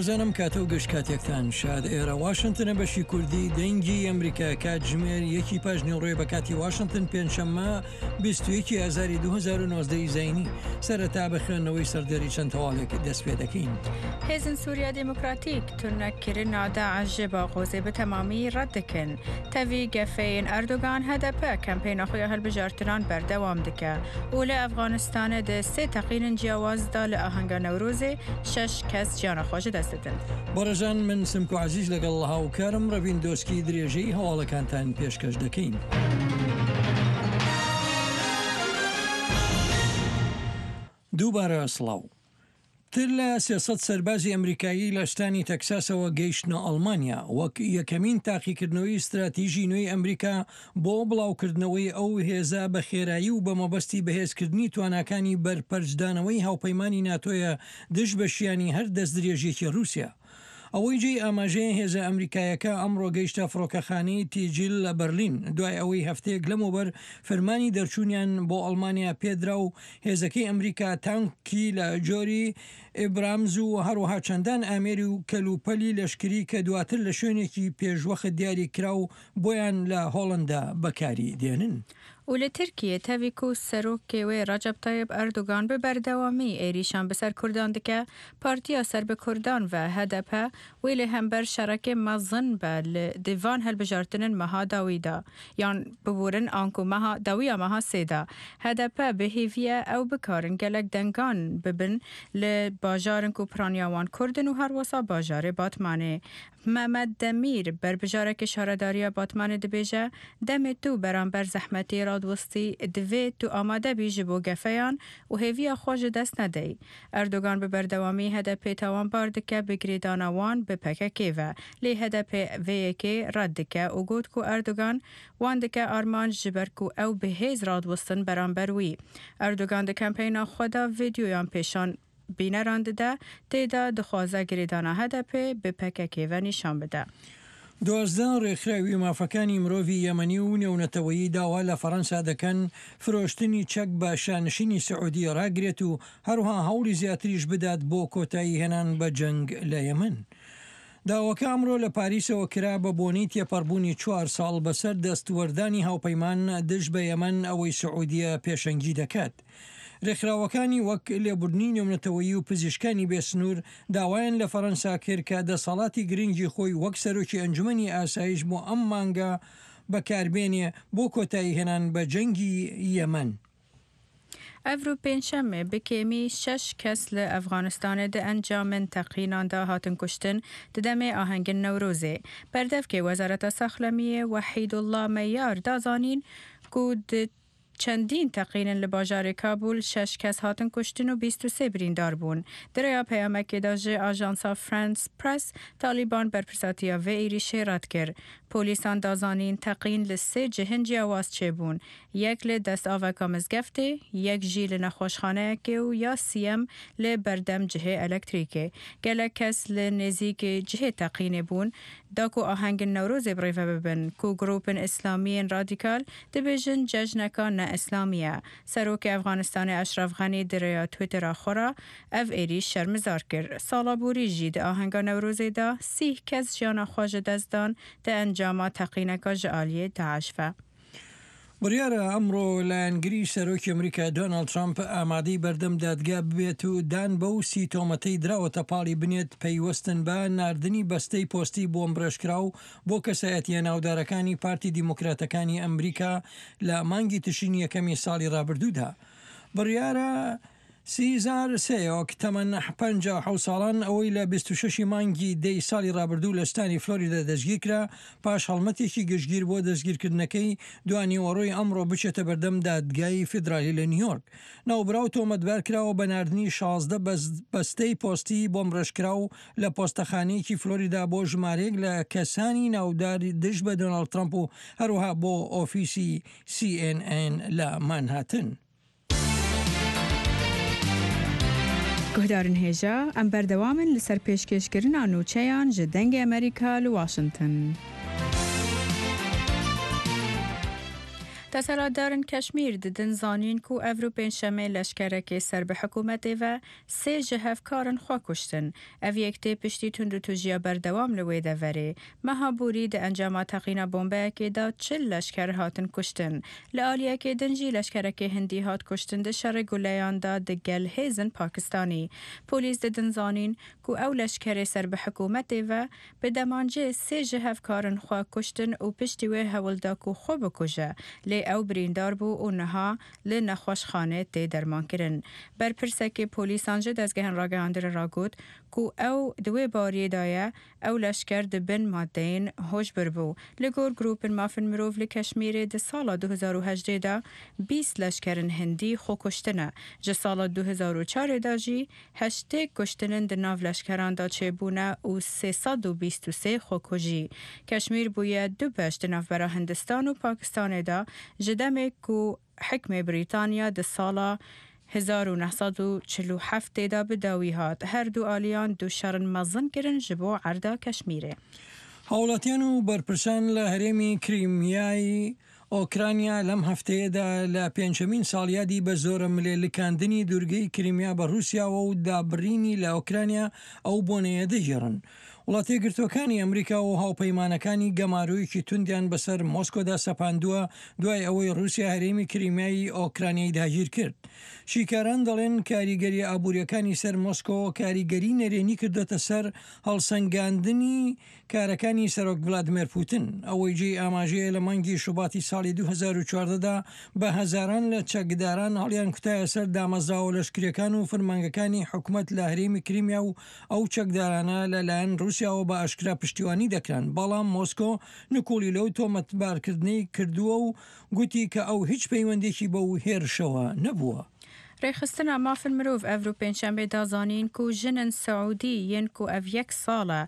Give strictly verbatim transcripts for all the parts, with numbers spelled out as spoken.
زانم کاتە و گەشت کاتێکتان شاد. ئێرە واشنگتنە، بەشی کوردی دەنگی ئەمریکا، کاتژمێر یەکی پاش نیوەڕۆی بە کاتی واشنگتن، پێنجشەممە، بیست و یەکی ئازاری دوو هەزار و نۆزدە ی زینی. سەرەتا بە خوێندنەوەی سەردێری چەند هەواڵێک دەست پێ دەکەین. Hêzên Sûriya Demokratîk tunekirina DAIŞ ji Baxozê bi temamî red dikin. Tevî gefê yên Erdogan, H D P kempeyna xwe ya hilbijartinan berdewam dike û li Efxanistanê di sê teqînên ciyawaz de li ahenga Newrozê şeş kes jiyana xwe ji dest didin. بەڕێزان، من سمکۆ عەزیز لەگەڵ هاوکارم ڕەڤین دۆسکی درێژەی هەواڵەکانتان پێشکەش دەکەین. دووبارە سڵاو. تر لە سێ سەد سەربازی ئەمریکایی لە شتانی تەکساسەوە گەیشتنە ئەڵمانیا، وەک یەکەمین تاقیکردنەوەی استراتیژی نوێی ئەمریکا بۆ بڵاوکردنەوەی ئەو هێزە بە خێرایی و بە مەبەستی بەهێزکردنی تواناکانی بەرپەرچدانەوەی هاوپەیمانی ناتۆیە دژ بە شیانی هەر دەستدرێژیەکی رووسیا. ئەوەی جێی ئاماژەیە، هێزە ئەمریکایەکە ئەمڕۆ گەیشتە فڕۆکەخانەی تیجیل لە بەرلین، دوای ئەوەی هەفتەیەک لەمەوبەر فەرمانی دەرچوونیان بۆ ئەڵمانیا پێدرا و هێزەکەی ئەمریکا تانکی لە جۆری ئیبرامز و هەروەها چەندان ئامێری و کەلوپەلی لەشکری کە دواتر لە شوێنێکی پێشوەخت دیاری کرا و بۆیان لە هۆڵندا بەکاری دێنن. û li Tirkiyê tevî ku serokê wê Recep Tayyip Erdogan bi berdewamî êrîşan bi ser Kurdan dike, Partiya Ser bi Kurdan ve, H D P, wê li hember şerekê mezin be li, di van hilbijartinên meha dawî de, yan biborin anku meha, dawiya meha sê de. H D P bi hêvî ye ew bikarin gelek dengan bibin li bajarin ku piraniya wan Kurd in û herwesa bajarê Batmanê. Mehmet Demîr, berbijarekê şaredariya Batmanê dibêje, demê tu beramber zehmetê radwistî, divê tu amade bî ji bo gefeyan û hêviya xwe ji dest nedey. Erdogan bi berdewamî H D P tawanbar dike bi girêdana wan bi P K K ve. Lê H D P vê yekê red dike û got ku Erdogan wan dike armanc ji ber ku ew bi hêz radwistin beramber wî. Erdogan di kampeyna xwe de vîdyoyan pêşan bîneran dide, tê de dixwaze girêdana H D P bi P K K ve nîşan bide. دوازدە ڕێکخراوی مافەکانی مرۆڤی یەمەنی و نێونەتەوەیی داوا لە فەڕەنسا دەکەن فرۆشتنی چەک بە شانشینی سعودی ڕاگرێت و هەروها هەوڵی زیاتریش بدات بۆ کۆتایی هێنان بە جەنگ لە یەمەن. داواکە ئەمڕۆ لە پاریسەوە کرا بە بۆنەی تێپەڕبوونی چوار ساڵ بەسەر دەستوەردانی هاوپەیمان دژ بە یەمەن، ئەوەی سعودیە پێشەنگی دەکات. ڕێکخراوەکانی وەک لێبوردنی نێونەتەوەیی و پزیشکانی بێسنوور داوایان لە فەڕەنسا کرد کە دەسەڵاتی گرنگی خۆی وەک سەرۆکی ئەنجومەنی ئاسایش بۆ ئەم مانگە بەکاربێنێ بۆ کۆتایی هێنان بە جەنگی یەمەن. Evro pêncşemê bi kêmî şeş kes li Efxanistanê di encamên teqînan de hatin kuştin, di demê ahengên Newrozê. Berdevkê Wezareta Saxlemiyê Wehîdullah Meyar da zanîn ku di çendîn teqînin li bajarê Kabûl şeş kes hatin kuştin û bîst û sê birîndar bûn. Di rêya peyamekê de ji ajansa France Press, Talîban berpirsatiya vê êrîşê red kir. Polîsan da zanîn teqîn li sê cihên ciyawaz çêbûn. Yek li destaveka mizgeftê, yek jî li nexweşxaneyekê û ya siyem li berdem cihê elektrîkê. Gelek kes li nêzîkê cihê teqînê bûn, da ku ahengên Newrozê bi rêve bibin, ku grûpên îslamiyên radîkal dibêjin cejneka ne îslamî ye. Serokê Efxanistanê Eşref Xenî di rêya Twittera xwe re ev êrîş şermizar kir. Sala borî jî di ahenga Newrozê de sîh kes jiyana xwe ji dest dan di encama teqîneka ji aliyê DAIŞ ve. بڕیارە ئەمڕۆ لایەنگری سەرۆکی ئەمریکا دۆناڵد ترامپ ئامادەی بەردەم دادگا ببێت و دان بەو سی تۆمەتەی دراوەتە پاڵی بنێت پەیوەستن بە ناردنی بەستەی پۆستی بۆمبڕێژکراو بۆ کەسایەتیە ناودارەکانی پارتی دیموکراتەکانی ئەمریکا لە مانگی تشرینی یەکەمی ساڵی ڕابردوودا. بڕیارە سیزار سێۆک، تەمەن پەنجا و حەوت ساڵان، ئەوەی لە بیست و شەشی مانگی دەی ساڵی ڕابردوو لە ستانی فلۆریدا دەستگیر کرا، پاش هەڵمەتێکی گشتگیر بۆ دەستگیرکردنەکەی، دوانی وەڕۆی ئەمڕۆ بچێتە بەردەم دادگای فیدرالی لە نیویۆرک. ناوبراو تۆمەتبار کراوە بە ناردنی شازدە بەس-، بەستەی پۆستی بۆمبڕێژکراو لە پۆستەخانەیەکی فلۆریدا بۆ ژمارەیەک لە کەسانی ناودار دژ بە دۆناڵد ترامپ و هەروەها بۆ ئۆفیسی سی ئێن ئێن لە مانهاتن. Guhdarên hêja, em berdewam in li ser pêşkêşkirina nûçeyan ji Dengê Amerîka li Washington. Desthilatdarên Keşmîr didin zanîn ku evro pêncşemê leşkerekê ser bi hikûmetê ve sê ji hevkarin xwe kuştin. Ev yek tê piştî tundûtûjiya berdewam li wê deverê. Meha borî di encama teqîna bombeyekê de çil leşker hatin kuştin. Li aliyekê din jî leşkerekê hindî hat kuştin di şerê guleyan de di gel hêzin Pakistanî. Polîs didin zanîn ku ew leşkerê ser bi hikûmetê ve bi demancê sê ji hevkarin xwe kuştin û piştî wê hewl da ku xwe bikuje, lê ew birîndar bû û niha li nexweşxanê tê dermankirin. Berpirsekê polîsan ji dezgehên ragihandinê re got ku ew di wê bariyê de ye, ew leşker di bin madeyên hişbir bû. Li gor grûpên mafên mirov li Keşmîrê di sala du hezar û hejdeh de bîst leşkerên hindî xwe kuştine. Ji sala du hezar û çarê de jî heştê kuştinên di nav leşkeran de çêbûne û sê sed û bîst û sê xwekujî. Keşmîr bûye du beş di navbera Hindistan û Pakistanê de, ji demê ku hikmê Brîtanya di sala hezar û neh sed û çil û heftê de bi dawî hat. Her du aliyan du şerin mezin kirin ji bo erda Keşmîrê. هاوڵاتیان و بەرپرسان لە هەرێمی کریمیای ئۆکرانیا لەم هەفتەیەدا لە پێنجەمین ساڵیادی بە زۆرە ملێ لکاندنی دوورگەی کریمیا بە رووسیاوە و دابڕینی لە ئۆکرانیا ئەو بۆنەیە دەگێڕن. وڵاتە یەکگرتووەکانی ئەمریکا و هاوپەیمانەکانی گەمارۆیەکی توندیان بەسەر مۆسکۆدا سەپاندووە، دوای ئەوەی رووسیا هەرێمی کریمیای ئۆکرانیای داگیر کرد. شیکاران دەڵێن کاریگەری ئابووریەکانی سەر مۆسکۆ کاریگەری نەرێنی کردوتە سەر هەڵسەنگاندنی کارەکانی سەرۆک ڤلادیمێر پوتن. ئەوەی جێی ئاماژەیە، لە مانگی شوباتی ساڵی دوو هەزار و چواردە دا بە هەزاران لە چەکداران هەڵیان کوتایە سەر دامەزراوە لەشکریەکان و فرمانگەکانی حکومەت لە هەرێمی کریمیا و ئەو چەکدارانە لەلایەن رووسیاوە بە ئاشکرا پشتیوانی دەکران، بەڵام مۆسکۆ نکوڵی لەو تۆمەتبارکردنەی کردووە و گوتی کە ئەو هیچ پەیوەندێکی بەو هێرشەوە نەبووە. Rêxistina Mafên Mirov evro pêncşemê da zanîn ku jinên Siûdî yên ku ev yek sal e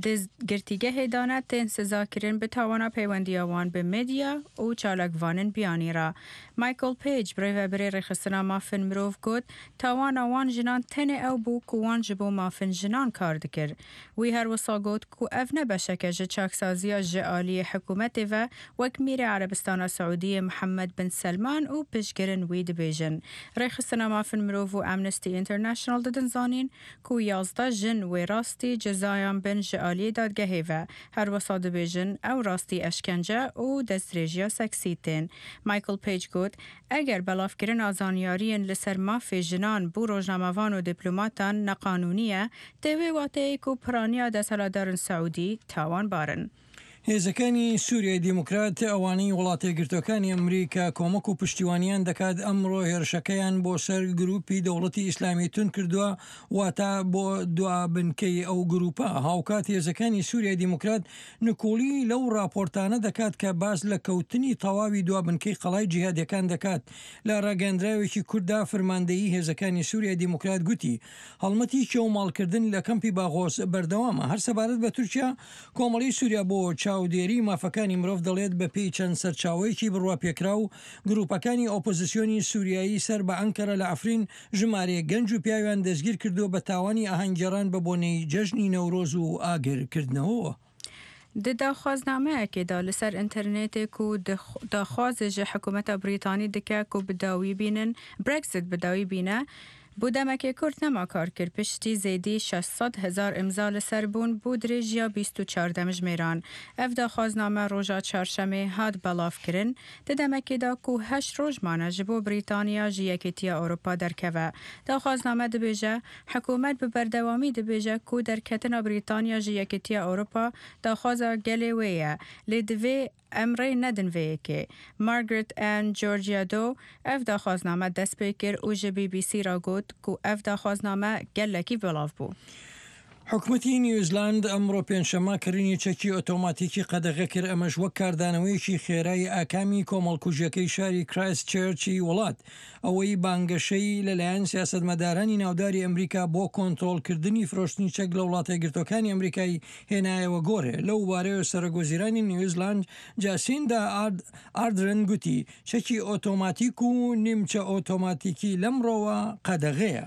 di girtîgehê de ne, tên sizakirin bi tawana peywendiya wan bi medya û çalakvanên biyanî re. Michael Page, birêvebirê Rêxistina Mafên Mirov got, tawana wan jinan tenê ew bû ku wan ji bo mafên jinan kar dikir. Wî her wisa got ku ev ne beşek e ji çaksaziya ji aliyê hikûmetê ve, wek Mîrê Erebistana Siûdiyê Mihemed bin Selman û piştgirên wî dibêjin. Rêxistina Mafên Mirov û Amnesty International didin zanîn ku yazdeh jin wê rastî cezayan bin ji aliyê dadgehê ve. Her wisa dibêjin ew rastî eşkence û destdirêjiya seksî tên. Michael Page got, eger belavkirina zanyariyên li ser mafê jinan bo rojnamevan û diplomatan neqanûnî ye, tê wê wateyê ku piraniya desthilatdarên Siûdî tawanbar in. هێزەکانی سووریای دیموکرات، ئەوانەی وڵاتە یەکگرتووەکانی ئەمریکا کۆمەک و پشتیوانیان دەکات، ئەمڕۆ هێرشەکەیان بۆ سەر گروپی دەوڵەتی ئیسلامی تون کردووە، واتە بۆ دوا بنکەی ئەو گروپە. هاوکات هێزەکانی سووریای دیموکرات نکوڵی لەو راپۆرتانە دەکات کە باس لە کەوتنی تەواوی دوا بنکەی قەڵای جیهادیەکان دەکات. لە ڕاگەندراوێکی کورتدا، فرماندەیی هێزەکانی سووریای دیموکرات گوتی، هەڵمەتی کێوماڵکردن لە کەمپی باغۆس بەردەوامە. هەر سەبارەت بە تورکیا، کۆمەڵی سووریا بۆ چاودێری مافەکانی مرۆڤ دەڵێت، بە پێی چەند سەرچاوەیەکی بڕواپێکراو، گروپەکانی ئۆپۆزیسیۆنی سووریایی سەر بە ئەنکەرە لە عەفرین ژمارەیە گەنج و پیاویان دەستگیر کردووە بە تاوانی ئاهەنگگێڕان بە بۆنەی جەژنی نەورۆز و ئاگرکردنەوەوە. Di daxwaznameyekê de li ser înternetê ku dix-, daxwazê ji hikûmeta Brîtanî dike ku bi dawî bînin, Brexit bi dawî bîne, bo demekê kurt nema kar kir. Piştî zêdî şeş sed hezar îmza li ser bûn, bo dirêjiya bîst û çar demjimêran. Ev daxwazname roja çarşemê hat belavkirin. Di demekê de ku heşt roj mane ji bo Brîtanya ji Yekîtiya Ewropa derkeve. Daxwazname dibêje, hikûmet bi berdewamî dibêje ku derketina Brîtanya ji Yekîtiya Ewropa daxwaza gelê wê ye, lê divê em rê nedin vê yekê. Margaret Ann Georgiadou ev daxwazname dest pê kir û ji B B C re got ku ev daxwazname gelekî belav bû. حکومەتی نیوزلاند ئەمڕۆ پێنجشەممە کڕینی چەکی ئۆتۆماتیکی قەدەغە کرد، ئەمەش وەک کاردانەوەیەکی خێرای ئاکامی کۆمەڵکوژیەکەی شاری کرایست چێرچی وڵات. ئەوەی بانگەشەی لەلایەن سیاسەتمەدارانی ناوداری ئەمریکا بۆ کۆنترۆلکردنی فرۆشتنی چەک لە وڵاتە یەکگرتووەکانی ئەمریکای هێنایەوە گۆڕێ. لەو بارەیەوە سەرۆک وەزیرانی نیوزلاند جاسیندا ئارد-، ئاردرن گوتی، چەکی ئۆتۆماتیک و نیمچە ئۆتۆماتیکی لەمڕۆوە قەدەغەیە.